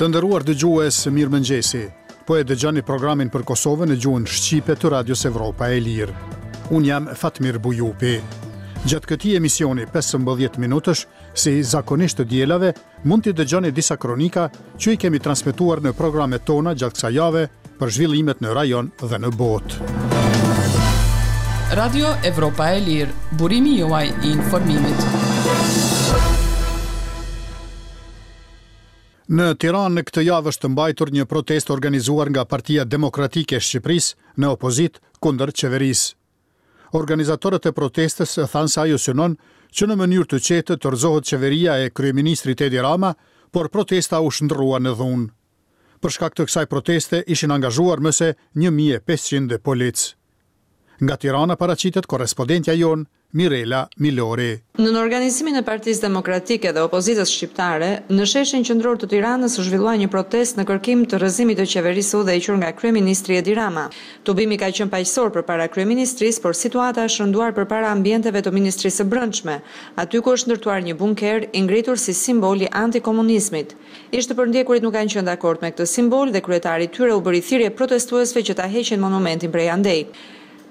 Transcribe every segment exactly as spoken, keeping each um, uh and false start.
Të nderuar dëgjues, mirëmëngjesi. Po e dëgjoni programin për Kosovën në gjuhën shqipe të Radios Evropa e Lirë. Unë jam Fatmir Bujupi. Gjatë këtij emisioni pesëmbëdhjetë minutësh, si zakonisht të dielave, mund t'i dëgjoni disa kronika që i kemi transmetuar në programet tona gjatë kësaj jave për zhvillimet në rajon dhe në botë. Radio Evropa e Lirë, burimi juaj i informimit. Në Tiranë këtë javë është mbajtur një protestë organizuar nga Partia Demokratike e Shqipërisë në opozitë kundër qeverisë. Organizatorët e protestës thanë se ajo synon që në mënyrë të qetë të rrëzohet qeveria e kryeministrit Edi Rama, por protesta u shndërrua në dhunë. Për shkak të kësaj proteste ishin angazhuar më se një mijë e pesëqind policë. Nga Tirana paraqitet korrespondentja jonë Mirela Milori. Nën organizimin e Partisë Demokratike dhe opozitës shqiptare, në sheshin qendror të Tiranës u zhvillua një protestë në kërkim të rrëzimit të qeverisë së udhëhequr nga kryeministri Edi Rama. Tubimi ka qenë paqësor përpara kryeministrisë, por situata është rënduar përpara ambienteve të Ministrisë së Brendshme, aty ku është ndërtuar një bunker i ngritur si simbol i antikomunizmit. Ish të përndjekurit nuk kanë qenë dakord me këtë simbol dhe kryetari i tyre u bëri thirrje protestuesve që ta heqin monumentin prej andej.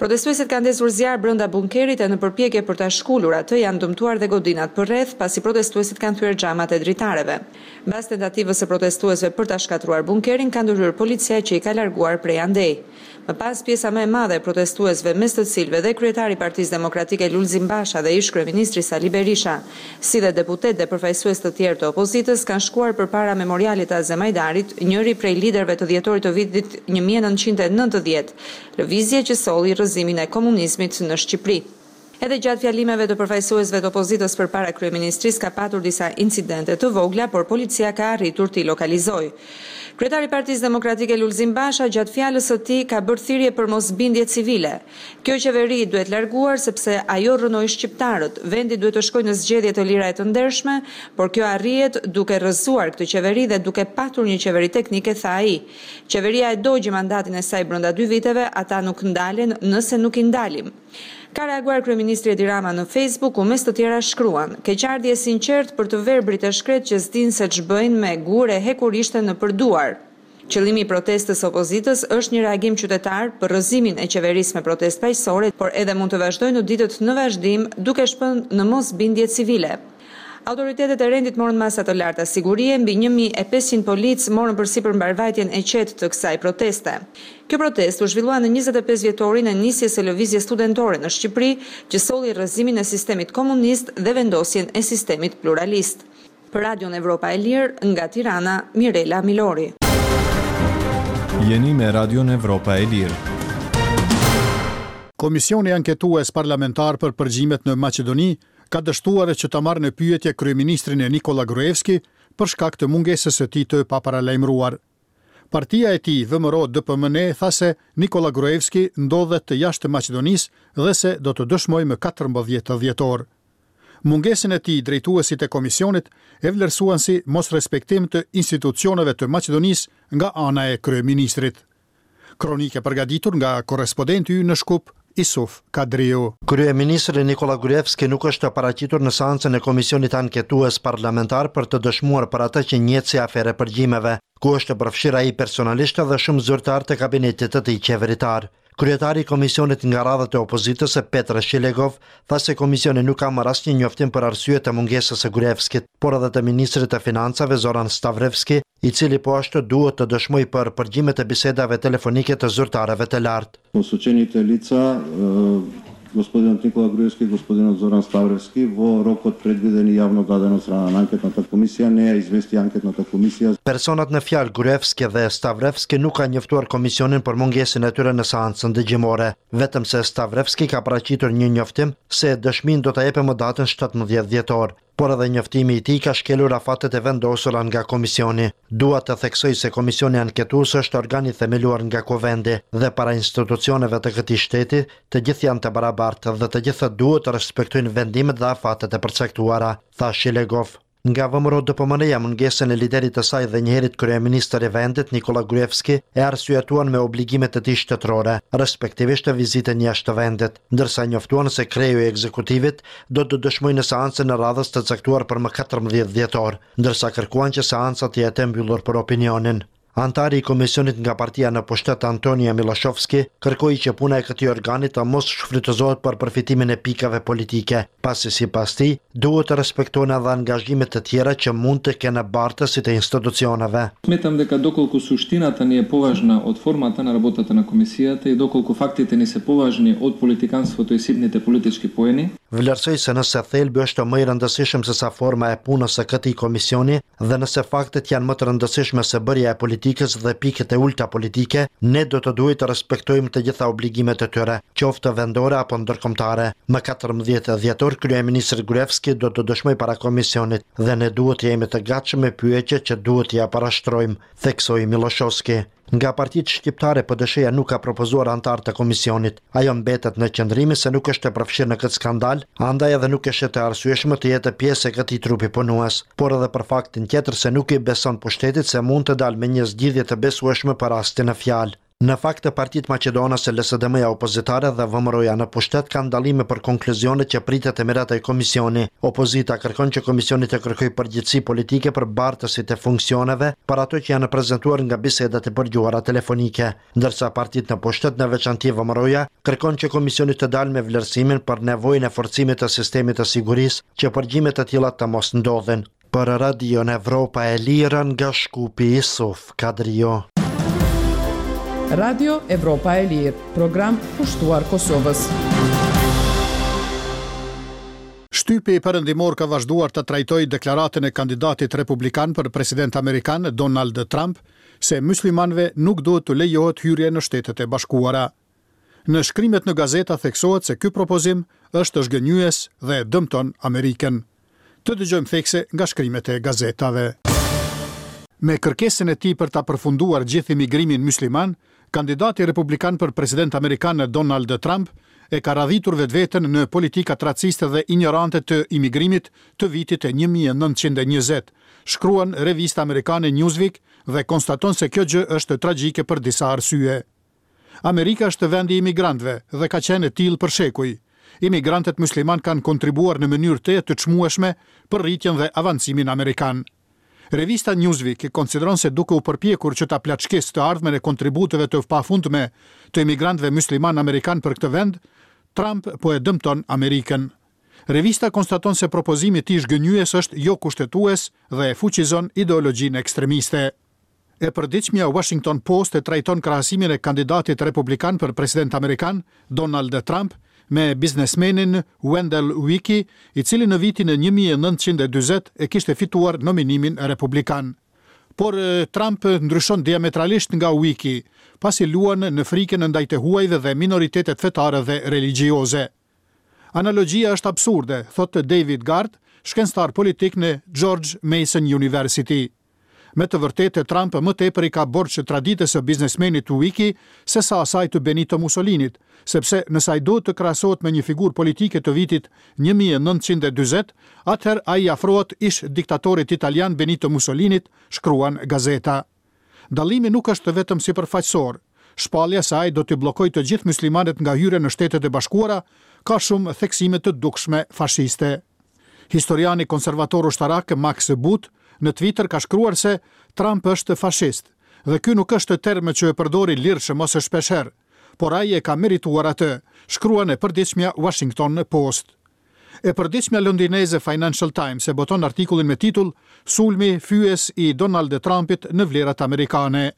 Protestuesit kanë ndezur zjarr brenda bunkerit e në përpjekje për ta shkulur atë janë dëmtuar dhe godinat përreth, pasi protestuesit kanë thyer xhamat e dritareve. Mbas tentativës së protestuesve për ta shkatërruar bunkerin, ka ndërhyrë policia që i ka larguar prej andej. Më pas pjesa më e madhe e protestuesve, mes të cilëve dhe kryetari i Partisë Demokratike Lulzim Basha dhe ish kryeministri Sali Berisha, si dhe deputet dhe përfaqësues të tjerë të opozitës, kanë shkuar përpara memorialit të Azem Hajdarit, njëri prej liderëve të dhjetorit të vitit një mijë e nëntëqind e nëntëdhjetë, lëvizje që solli rrëzimin e komunizmit në Shqipëri. Edhe gjatë fjalimeve të përfaqësuesve të opozitës përpara kryeministrisë ka patur disa incidente të vogla, por policia ka arritur t'i lokalizojë. Kryetari i Partisë Demokratike Lulzim Basha gjatë fjalës së tij ka bërë thirrje për mosbindje civile. Kjo qeveri duhet larguar sepse ajo rrënoi shqiptarët. Vendi duhet të shkojë në zgjedhje të lira e të ndershme, por kjo arrihet duke rrëzuar këtë qeveri dhe duke patur një qeveri teknike, tha ai. Qeveria e dogji mandatin e saj brenda dy viteve, ata nuk ndalen nëse nuk i ndalim. Ka reaguar kryeministri Edi Rama në Facebook, ku mes të tjera shkruan: Keqardhje e sinqert për të verbrit e shkret që s'din se ç'bëjnë me gurë e hekurishte në përduar. Qëllimi i protestës së opozitës është një reagim qytetar për rrëzimin e qeverisë me protestë paqësore, por edhe mund të vazhdojë në ditët në vazhdim duke shpënë në mosbindje civile. Autoritetet e rendit morën masa të larta sigurie, mbi një mijë e pesëqind policë morën përsipër mbarvajtjen e qetë të kësaj proteste. Kjo protestë u zhvillua në njëzet e pesë vjetorin e nisjes së lëvizjes studentore në Shqipëri, që solli rrëzimin e sistemit komunist dhe vendosjen e sistemit pluralist. Për Radion Evropa e Lirë, nga Tirana, Mirela Milori. Jeni me Radion Evropa e Lirë. Komisioni anketues parlamentar për përgjimet në Maqedoni ka dështuar që ta marrë në pyetje kryeministrin e Nikola Gruevski për shkak të mungesës së tij të paparalajmëruar. Partia e tij V M R O D P M N tha se Nikola Gruevski ndodhet jashtë Maqedonisë dhe se do të dëshmojë më katërmbëdhjetë dhjetor. Mungesën e tij drejtuesit e komisionit e vlerësuan si mosrespektim të institucioneve të Maqedonisë nga ana e kryeministrit. Kronikë e përgatitur nga korrespondenti ynë në Shkup, Isuf Kadriu. Kryeministri Nikola Gruevski nuk është paraqitur në seancën e Komisionit Anketues Parlamentar për të dëshmuar për atë që njihet si aferë e përgjimeve, ku është përfshirë ai personalisht dhe shumë zyrtar të kabinetit të tij qeveritar. Kryetari i komisionit nga radhët e opozitës, Petre Shilegov, tha se komisioni nuk ka marrë asnjë njoftim për arsye të mungesës së Gruevskit, por edhe të ministrit të Financave Zoran Stavrevski, i cili po ashtu duhet të dëshmojë për përgjimet e bisedave telefonike të zyrtarëve të lartë. Posučenite lica, e, gospodinот Никола Груевски и господинот Зоран Ставревски во рокот предвиден и јавно даден од страна на анкетната комисија, не ја извести анкетната комисија. Personat në fjalë Gruevski dhe Stavrevski nuk kanë njoftuar komisionin për mungesën e tyre në seancën dëgjimore, vetëm se Stavrevski ka paraqitur një njoftim se dëshminë do ta jepë më datën shtatëmbëdhjetë dhjetor, por edhe njoftimi i tij ka shkelur afatet e vendosura nga komisioni. Dua të theksoj se komisioni anketues është organi themeluar nga Kuvendi dhe para institucioneve të këtij shteti, të gjithë janë të barabartë dhe të gjithë duhet të respektojnë vendimet dhe afatet e përcaktuara, tha Shilegov. Nga V M R O D P M N-ja mungesën e liderit të saj dhe njëherit kryeministër i vendit Nikola Gruevski e arsyetuan me obligimet e tij shtetërore, respektivisht të vizitën jashtë të vendit, ndërsa njoftuan se kreu i ekzekutivit do të dëshmojë në seancën e radhës të caktuar për më katërmbëdhjetë dhjetor, ndërsa kërkuan që seanca të jetë e mbyllur për opinionin. Antari i komisionit nga partia në pushtet Antonija Miloshovski kërkoi që puna e këtij organi të mos shfrytëzohet për përfitimin e pikave politike, pasi sipas tij duhet të respektohen edhe angazhimet të tjera që mund të kenë bartësit e institucioneve. Сметам дека доколку суштината ни е поважна од формата на работата на комисијата и доколку фактите ни се поважни од политиканството и ситните политички поени, Vlerësoi se nëse thelbi është më i rëndësishëm se sa forma e punës së këtij komisioni dhe nëse faktet janë më të rëndësishme se bërja e politikës dhe pikët e ulta politike, ne do të duhet të respektojmë të gjitha obligimet e tyre, qoftë vendore apo ndërkombëtare. Më katërmbëdhjetë dhjetor kryeministri Gruevski do të dëshmojë para komisionit dhe ne duhet të jemi të gatshëm me pyetje që duhet t'ia parashtrojmë, theksoi Miloshovski. Nga partitë shqiptare P D Sh-ja nuk ka propozuar antar të komisionit. Ajo mbetet në qëndrimin se nuk është e përfshirë në këtë skandal, andaj edhe nuk është e arsyeshme të jetë pjesë e këtij trupi punues, por edhe për faktin tjetër se nuk i beson pushtetit se mund të dalë me një zgjidhje të besueshme për rastin në fjalë. Në fakt, partitë maqedonase L S D M-ja opozitare dhe V M R O-ja në pushtet kanë dallime për konkluzionet që pritet të miratojë komisioni. Opozita kërkon që komisioni të kërkojë përgjegjësi politike për bartësit e funksioneve për ato që janë prezantuar nga bisedat e përgjuara telefonike, ndërsa partitë në pushtet, në veçanti V M R O-ja, kërkon që komisioni të dalë me vlerësimin për nevojën e forcimit të sistemit të sigurisë që përgjime të tilla të mos ndodhin. Për Radion Evropa e Lirë nga Shkupi, Isuf Kadrio. Radio Evropa e Lirë, program kushtuar Kosovës. Shtypi perëndimor ka vazhduar të trajtojë deklaratën e kandidatit republikan për president amerikan Donald Trump se muslimanëve nuk duhet të lejohet hyrje në Shtetet e Bashkuara. Në shkrimet në gazeta theksohet se ky propozim është zhgënjyes dhe dëmton Amerikën. Të dëgjojmë thekse nga shkrimet e gazetave. Me kërkesën e tij për ta përfunduar gjithë imigrimin musliman, kandidati republikan për president amerikan Donald Trump e ka radhitur vetveten në politikat raciste dhe ignorante të imigrimit të vitit një mijë e nëntëqind e njëzet, shkruan revista amerikane Newsweek dhe konstaton se kjo gjë është tragjike për disa arsye. Amerika është vendi i imigrantëve dhe ka qenë e tillë për shekuj. Imigrantët musliman kanë kontribuar në mënyrë të të çmueshme për rritjen dhe avancimin amerikan. Revista Newsweek konsideron se duke u përpjekur që ta plaçkisë të ardhmen e kontributeve të pafundme të imigrantëve musliman amerikan për këtë vend, Trump po e dëmton Amerikën. Revista konstaton se propozimi i tij zhgënjyes është jo kushtetues dhe e fuqizon ideologjinë ekstremiste. E përditshmja Washington Post e trajton krahasimin e kandidatit republikan për president amerikan, Donald Trump, me biznesmenin Wendell Willkie, i cili në vitin e një mijë e nëntëqind e dyzet e kishte fituar nominimin republikan. Por Trump ndryshon diametralisht nga Willkie, pasi luan në frikën ndaj të huajve dhe minoritetet fetare dhe religjioze. Analogjia është absurde, thotë David Gard, shkencëtar politik në George Mason University. Me të vërtetë, Trump më tepër i ka borxh traditës së biznesmenit Willkie se sa asaj të Benito Mussolinit, sepse nëse ai duhet të krahasohet me një figurë politike të vitit një mijë e nëntëqind e dyzet, atëherë ai afrohet ish diktatorit italian Benito Mussolinit, shkruan gazeta. Dallimi nuk është vetëm sipërfaqësor. Shpallja se ai do të bllokojë të gjithë muslimanët nga hyrja në Shtetet e Bashkuara ka shumë theksime të dukshme fashiste. Historiani konservator ushtarak Max Boot në Twitter ka shkruar se Trump është fashist dhe ky nuk është term që e përdori lirshëm ose shpeshherë, por ai e ka merituar atë, shkruan e përditshmja Washington Post. E përditshmja londineze Financial Times e boton artikullin me titull "Sulmi fyes i Donald Trumpit në vlerat amerikane".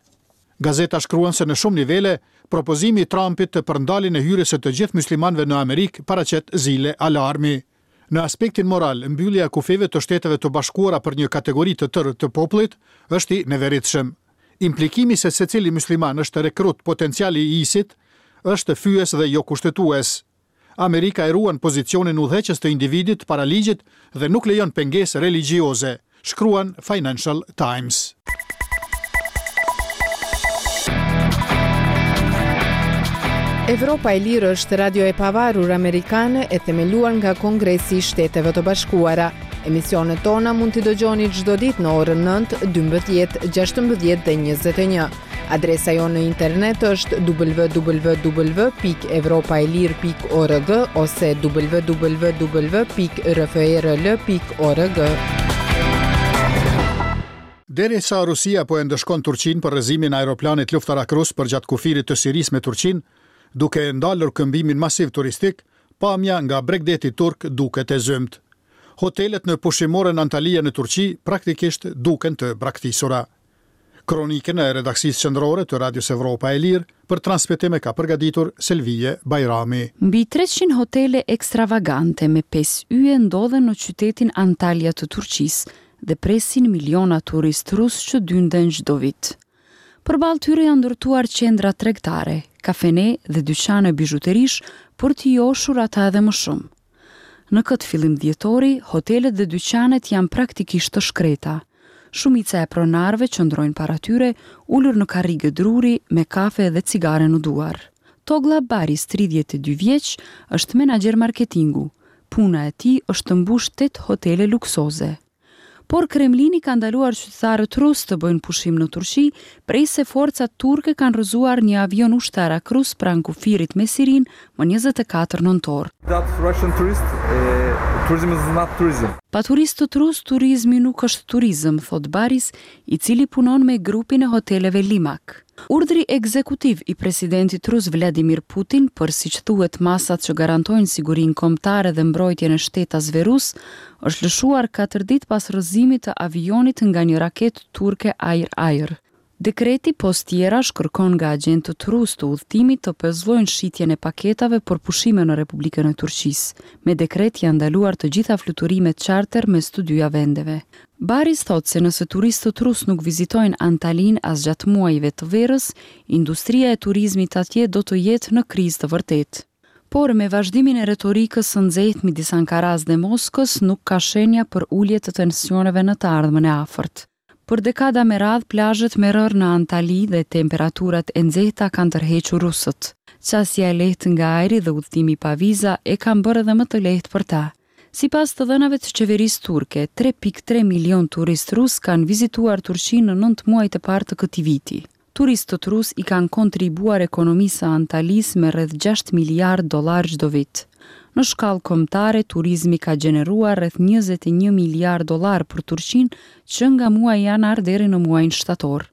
Gazeta shkruan se në shumë nivele, propozimi i Trumpit për ndaljen e hyrjes së të gjithë muslimanëve në Amerikë paraqet zile alarmi. Në aspektin moral, mbyllja e kufijve të Shteteve të Bashkuara për një kategori të tërë të popullit është i neveritshëm. Implikimi se secili musliman është rekrut potencial i ISIS-it është fyes dhe jo kushtetues. Amerika e ruan pozicionin udhëheqës të individit para ligjit dhe nuk lejon pengesë religjioze, shkruan Financial Times. Evropa e Lirë është radio e pavarur amerikane e themeluar nga Kongresi i Shteteve të Bashkuara. Emisionet tona mund t'i dëgjoni çdo ditë në orën nëntë, dymbëdhjetë, gjashtëmbëdhjetë dhe njëzet e një. Adresa jonë në internet është w w w pikë evropa e lirë pikë org ose w w w pikë r f r l pikë org. Derisa Rusia po e ndëshkon Turqinë për rrëzimin e aeroplanit luftarak rus përgjatë kufirit të Sirisë me Turqinë, duke ndalur këmbimin masiv turistik, pamja nga bregdeti turk duket e zymtë. Hotelet në pushimoren Antalya në Turqi praktikisht duken të braktisura. Kronikën e redaksisë qendrore të Radios Evropa e Lirë për transmetim e ka përgatitur Selvije Bajrami. Mbi treqind hotele ekstravagante me pesë yje ndodhen në qytetin Antalya të Turqisë dhe presin miliona turistë rusë që dynden çdo vit. Përballë tyre janë ndërtuar qendra tregtare, kafene dhe dyqane bizhuterish për t'i joshur ata edhe më shumë. Në këtë fillim dhjetori, hotelet dhe dyqanet janë praktikisht të shkreta. Shumica e pronarëve qëndrojnë para tyre, ulur në karrige druri me kafe dhe cigare në duar. Togla Baris, tridhjetë e dy vjeç, është menaxher marketingu. Puna e tij është të mbush tetë hotele luksoze. Por Kremlini ka ndaluar qytetarët rus të bëjnë pushim në Turqi, prej se forcat turke kanë rrëzuar një avion ushtarak rus pranë kufirit me Sirinë më njëzet e katër nëntor. That Russian tourist, eh, tourism is not tourism. Pa turistët rus, turizmi nuk është turizëm, thot Baris, i cili punon me grupin e hoteleve Limak. Urdhri ekzekutiv i presidentit rus Vladimir Putin për, siç thuhet, masat që garantojnë sigurinë kombëtare dhe mbrojtjen e shtetasve rus, është lëshuar katër ditë pas rrëzimit të avionit nga një raketë turke ajër-ajër. Dekreti pos tjerash kërkon nga agjentët rus të udhëtimit të pezullojnë shitjen e paketave për pushime në Republikën e Turqisë. Me dekret janë ndaluar të gjitha fluturimet charter mes të dyja vendeve. Baris thotë se nëse turistët rus nuk vizitojnë Antalin as gjatë muajve të verës, industria e turizmit atje do të jetë në krizë të vërtetë. Por me vazhdimin e retorikës së nxehtë midis Ankaras dhe Moskës nuk ka shenja për ulje të tensioneve në të ardhmen e afërt. Për dekada me radhë, plazhet me rërë në Antali dhe temperaturat e nxehta kanë tërhequr rusët. Qasja e lehtë nga ajri dhe udhëtimi pa viza e kanë bërë edhe më të lehtë për ta. Sipas të dhënave të qeverisë turke, tre pikë tre milion turistë rus kanë vizituar Turqinë në nëntë muajt e parë të këtij viti. Turistët rus i kanë kontribuar ekonomisë së Antalisë me rreth gjashtë miliard dollar çdo vit. Në shkallë kombëtare, turizmi ka gjeneruar rreth njëzet e një miliard dollar për Turqinë që nga muaji janar deri në muajin shtator.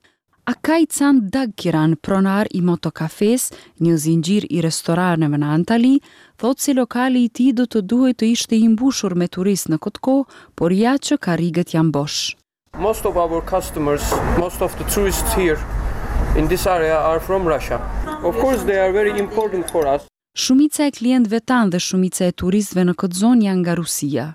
Akaj Can Dagkiran, pronar i Motokafes, një zinxhir i restoraneve në Antali, thotë se lokali i tij do të duhej të ishte i mbushur me turistë në këtë kohë, por ja që karriget janë bosh. Most of our customers, most of the tourists here in this area are from Russia. Of course they are very important for us. Shumica e klientëve tanë dhe shumica e turistëve në këtë zonë janë nga Rusia.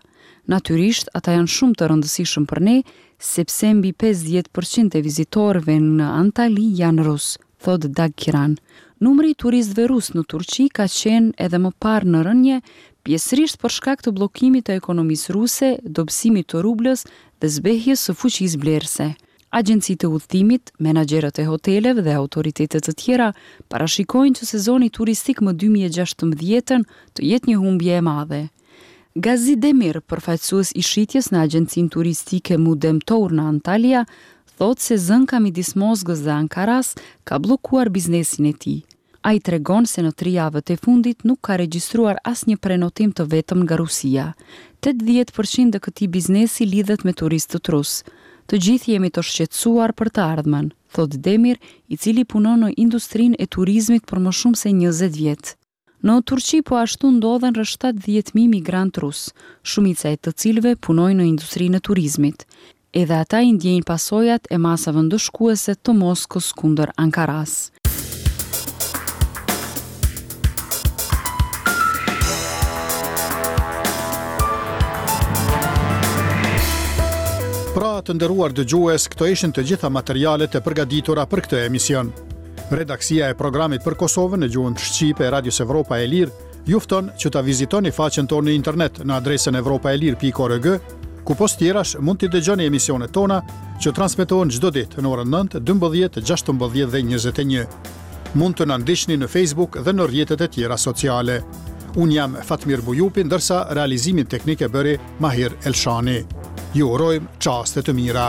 Natyrisht, ata janë shumë të rëndësishëm për ne, sepse mbi pesëdhjetë përqind e vizitorëve në Antali janë rus, thot Dagkiran. Numri i turistëve rus në Turqi ka qenë edhe më parë në rënje, pjesërisht për shkak të bllokimit të ekonomisë ruse, dobësimit të rublës dhe zbehjes së fuqisë blerëse. Agjencitë e udhëtimit, menaxherët e hoteleve dhe autoritetet të tjera parashikojnë që sezoni turistik më dy mijë e gjashtëmbëdhjetën të jetë një humbje e madhe. Gazi Demir, përfaqësues i shitjes në agjencinë turistike Mudem Tour në Antalya, thotë se zënka midis Moskës dhe Ankaras ka bllokuar biznesin e tij. Ai tregon se në tri javët e fundit nuk ka regjistruar asnjë prenotim të vetëm nga Rusia. Tetëdhjetë përqind e këtij biznesi lidhet me turistët rus. Të gjithë jemi të shqetësuar për të ardhmen, thot Demir, i cili punon në industrinë e turizmit për më shumë se njëzet vjet. Në Turqi po ashtu ndodhen rreth shtatëdhjetë mijë migrantë rus, shumica e të cilëve punojnë në industrinë e turizmit. Edhe ata i ndjejnë pasojat e masave ndëshkuese të Moskës kundër Ankaras. Pra, të nderuar dëgjues, këto ishin të gjitha materialet e përgatitura për këtë emision. Redaksia e programit për Kosovën në gjuhën shqipe e Radios Evropa e Lirë ju fton që ta vizitoni faqen tonë në internet në adresën evropa e lirë pikë org, ku pos tjerash mund t'i dëgjoni emisionet tona që transmetohen çdo ditë në orën nëntë, dymbëdhjetë, gjashtëmbëdhjetë dhe njëzet e një. Mund të na ndiqni në Facebook dhe në rrjetet e tjera sociale. Unë jam Fatmir Bujupi, ndërsa realizimin teknik e bëri Mahir Elshani. Ju urojmë çaste të mira.